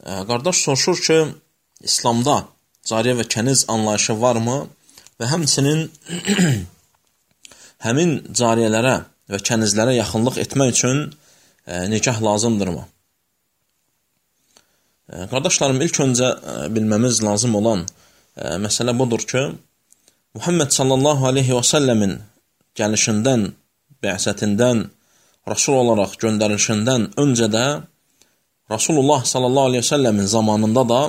Qardaş soruşur ki, İslamda cariyə və kəniz anlayışı varmı və həmçinin həmin cariyələrə və kənizlərə yaxınlıq etmək üçün nikah lazımdırmı? Qardaşlarım, ilk öncə bilməmiz lazım olan məsələ budur ki, Muhammed sallallahu aleyhi və səlləmin gəlişindən, bə'sətindən, Rasul olaraq göndərilişindən öncə də Rasulullah sallallahu aleyhi və səlləmin zamanında da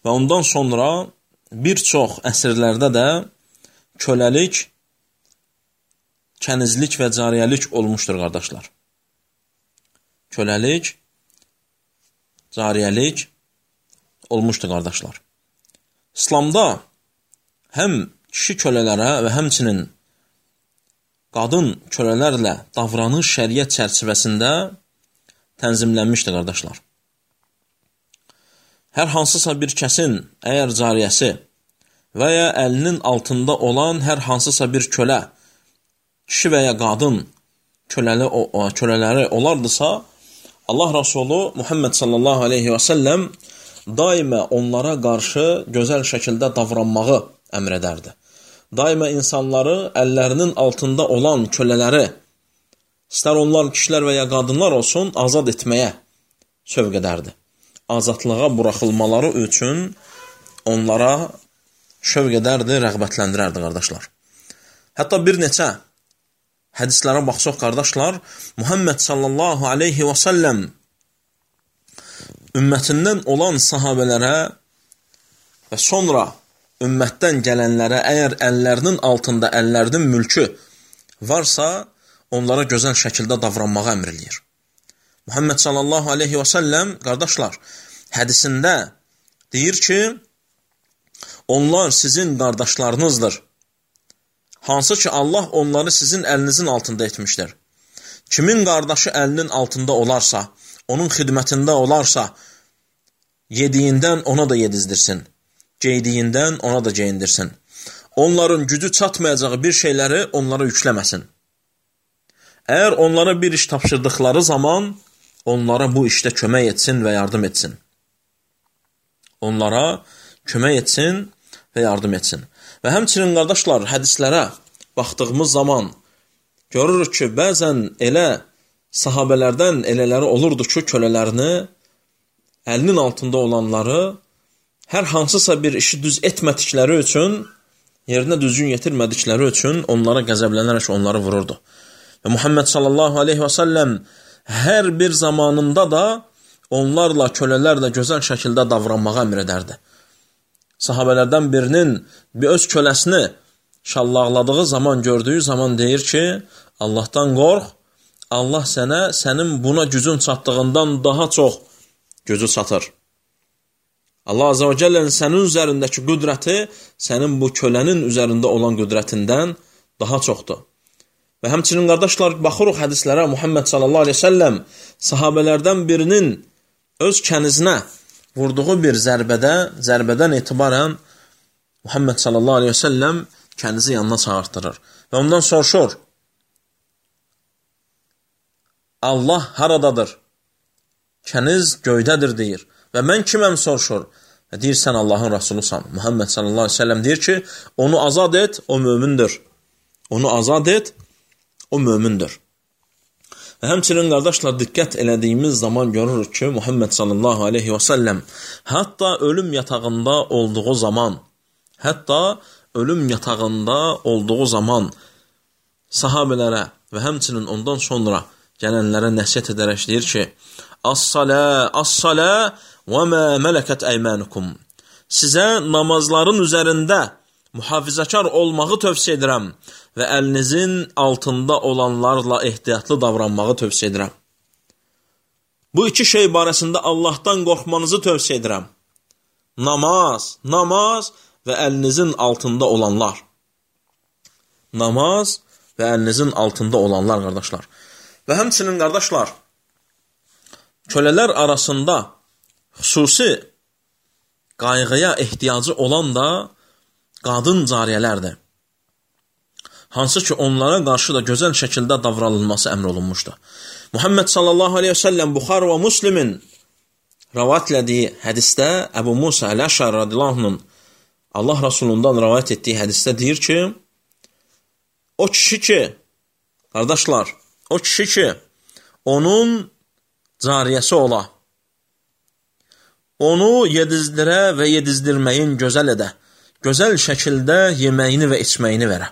və ondan sonra bir çox əsrlərdə də köləlik, kənizlik və cariyəlik olmuşdur, qardaşlar. Köləlik, cariyəlik olmuşdur, qardaşlar. İslamda həm kişi kölələrə və həmçinin qadın kölələrlə davranış şəriət çərçivəsində tənzimlənmişdir, qardaşlar. Hər hansısa bir kəsin əgər cariyəsi və ya əlinin altında olan hər hansısa bir kölə, kişi və ya qadın kölələri olardısa, Allah Rasulü Muhammed sallallahu aleyhi və səlləm daima onlara qarşı gözəl şəkildə davranmağı əmr edərdi. Daima insanları əllərinin altında olan kölələri, istər onlar kişilər və ya qadınlar olsun, azad etməyə sövq edərdi. Azadlığa buraxılmaları üçün onlara şövq edərdi, rəğbətləndirərdi, qardaşlar. Hətta bir neçə hədislərə baxsaq, qardaşlar, Muhammed sallallahu aleyhi və səlləm ümmətindən olan sahabələrə və sonra ümmətdən gələnlərə əgər əllərinin altında əllərinin mülkü varsa, onlara gözəl şəkildə davranmağa əmr eləyir. Muhammed sallallahu aleyhi və səlləm, qardaşlar, hədisində deyir ki, onlar sizin qardaşlarınızdır. Hansı ki, Allah onları sizin əlinizin altında etmişdir. Kimin qardaşı əlinin altında olarsa, onun xidmətində olarsa, yediyindən ona da yedizdirsin, geydiyindən ona da geyindirsin. Onların gücü çatmayacağı bir şeyləri onlara yükləməsin. Əgər onlara bir iş tapşırdıqları zaman, onlara bu işdə kömək etsin və yardım etsin. Onlara kömək etsin və yardım etsin. Və həmçinin, qardaşlar, hədislərə baxdığımız zaman görürük ki, bəzən elə sahabələrdən elələri olurdu ki, kölələrini, əlinin altında olanları hər hansısa bir işi düz etmədikləri üçün, yerinə düzgün yetirmədikləri üçün onlara qəzəblənərək onları vururdu. Və Muhammed sallallahu aleyhi və səlləm hər bir zamanında da onlarla, kölələrlə gözəl şəkildə davranmağa əmr edərdi. Sahabələrdən birinin bir öz köləsini şallaqladığı zaman, gördüyü zaman deyir ki, Allahdan qorx, Allah sənə, sənin buna gücün çatdığından daha çox gücü çatır. Allah Azə və Cəllənin sənin üzərindəki qüdrəti sənin bu kölənin üzərində olan qüdrətindən daha çoxdur. Və həmçinin, qardaşlar, baxırıq hədislərə, Muhammed sallallahu aleyhi ve sellem sahabələrdən birinin öz kənizinə vurduğu bir zərbədən etibarən Muhammed sallallahu aleyhi ve sellem kənizi yanına çağırtdırır. Və ondan soruşur, Allah haradadır? Kəniz göydədir, deyir. Və mən kiməm soruşur? Və deyir, sən Allahın Rasulusan. Muhammed sallallahu aleyhi ve sellem deyir ki, onu azad et, o mömindir. Onu azad et, o mömindir. Və həmçinin, qardaşlar, diqqət elədiyimiz zaman görürük ki, Muhammed sallallahu aleyhi və səlləm hətta ölüm yatağında olduğu zaman sahabələrə və həmçinin ondan sonra gələnlərə nəsihət edərək deyir ki, As-salə və mə mələkət əymənukum. Sizə namazların üzərində mühafizəkar olmağı tövsiyə edirəm və əlinizin altında olanlarla ehtiyatlı davranmağı tövsiyə edirəm. Bu iki şey barəsində Allahdan qorxmanızı tövsiyə edirəm. Namaz və əlinizin altında olanlar. Namaz və əlinizin altında olanlar, qardaşlar. Və həmçinin, qardaşlar, kölələr arasında xüsusi qayğıya ehtiyacı olan da qadın cariyələrdir. Hansı ki, onlara qarşı da gözəl şəkildə davranılması əmr olunmuşdur. Muhammed sallallahu aleyhi ve sellem Buxar və Müslimin rəvayət elədiyi hədisdə Əbu Musa Əl-Əşəri radiyallahu anhun Allah Rasulundan rəvayət etdiyi hədisdə deyir ki, o kişi ki, qardaşlar, o kişi ki, onun cariyəsi ola, onu yedizdirə və yedizdirməyin gözəl edə, gözəl şəkildə yeməyini və içməyini verə.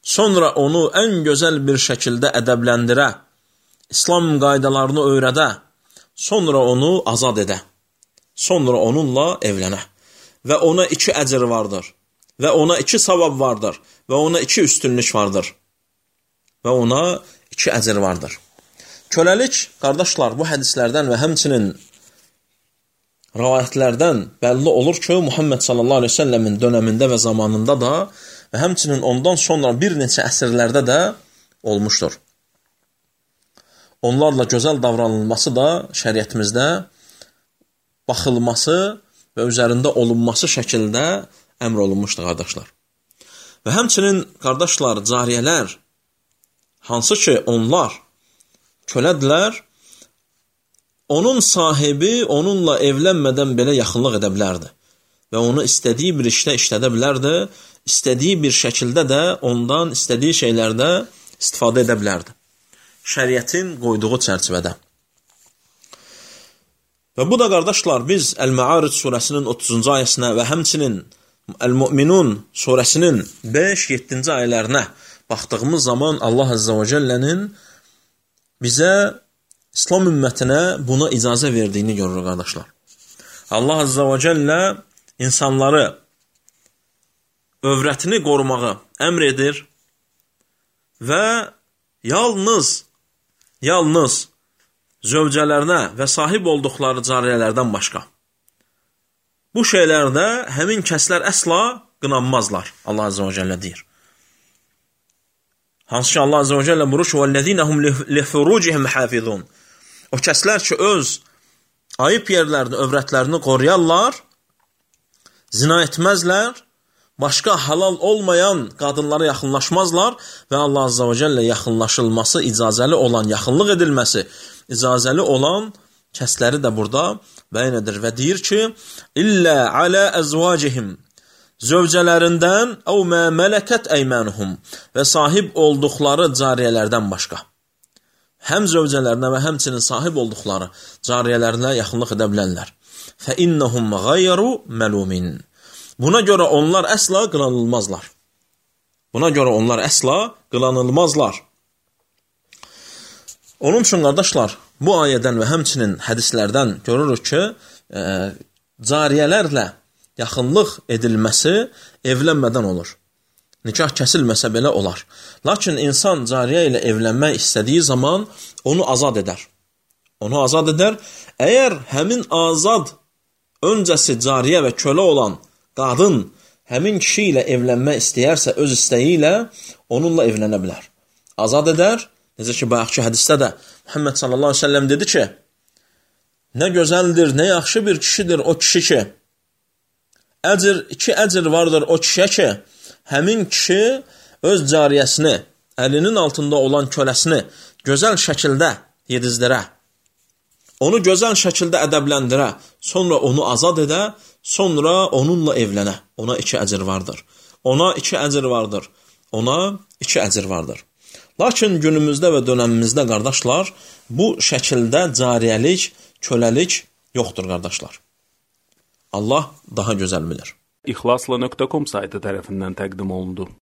Sonra onu ən gözəl bir şəkildə ədəbləndirə, İslam qaydalarını öyrədə, sonra onu azad edə, sonra onunla evlənə. Və ona 2 əcr vardır, və ona 2 savab vardır, və ona 2 üstünlük vardır, və ona 2 əcr vardır. Köləlik, qardaşlar, bu hədislərdən və həmçinin rəvayətlərdən bəlli olur ki, Muhammed sallallahu aleyhi ve sellemin dönəmində və zamanında da və həmçinin ondan sonra bir neçə əsrlərdə də olmuşdur. Onlarla gözəl davranılması da şəriətimizdə baxılması və üzərində olunması şəkildə əmr olunmuşdur, qardaşlar. Və həmçinin, qardaşlar, cariyələr, hansı ki onlar kölədirlər, onun sahibi onunla evlənmədən belə yaxınlıq edə bilərdi və onu istədiyi bir işdə işlədə bilərdi, istədiyi bir şəkildə də ondan istədiyi şeylərdə istifadə edə bilərdi. Şəriətin qoyduğu çərçivədə. Və bu da, qardaşlar, biz Əl-Mə'aric surəsinin 30-cu ayəsinə və həmçinin Əl-Mü'minun surəsinin 5-7-ci ayələrinə baxdığımız zaman Allah Azza və Cəllənin bizə İslam ümmətinə buna icazə verdiyini görürük, qardaşlar. Allah Azza və Cəllə insanları övrətini qorumağı əmr edir və yalnız zövcələrinə və sahib olduqları cariyələrdən başqa. Bu şeylərdə həmin kəslər əsla qınanmazlar, Allah Azza və Cəllə deyir. Hansı ki, Allah Azza və Cəllə buyurur ki, وَالَّذِينَ هُمْ لِفُرُوجِهِمْ حَافِظُونَ. O kəslər ki, öz ayıb yerlərini, övrətlərini qoruyarlar, zina etməzlər, başqa halal olmayan qadınlara yaxınlaşmazlar və Allah Azza və Cəllə yaxınlaşılması, icazəli olan, yaxınlıq edilməsi, icazəli olan kəsləri də burada bəyan edir və deyir ki, İllə alə əzvacihim, zövcələrindən əv mə mələkət əymənuhum və sahib olduqları cariyələrdən başqa. Həm zövcələrinə və həmçinin sahib olduqları cariyələrlə yaxınlıq edə bilərlər. Fə innəhum qayru məlumin. Buna görə onlar əsla qınanılmazlar. Buna görə onlar əsla qınanılmazlar. Onun üçün, qardaşlar, bu ayədən və həmçinin hədislərdən görürük ki, cariyələrlə yaxınlıq edilməsi evlənmədən olur. Nikah kəsilməsə belə olar. Lakin insan cariyə ilə evlənmək istədiyi zaman onu azad edər. Onu azad edər. Əgər həmin azad öncəsi cariyə və kölə olan qadın həmin kişi ilə evlənmək istəyərsə, öz istəyi ilə onunla evlənə bilər. Azad edər. Necə ki, bayaqki hədisdə də Muhammed sallallahu aleyhi ve sellem dedi ki, nə gözəldir, nə yaxşı bir kişidir o kişi ki, 2 əcr vardır o kişiyə ki, həmin kişi öz cariyəsini, əlinin altında olan köləsini gözəl şəkildə yedizdirə, onu gözəl şəkildə ədəbləndirə, sonra onu azad edə, sonra onunla evlənə. Ona 2 əcr vardır. Ona 2 əcr vardır. Ona 2 əcr vardır. Lakin günümüzdə və dönəmimizdə, qardaşlar, bu şəkildə cariyəlik, köləlik yoxdur, qardaşlar. Allah daha gözəl bilir. İxlasla.com saytı tərəfindən təqdim olundu.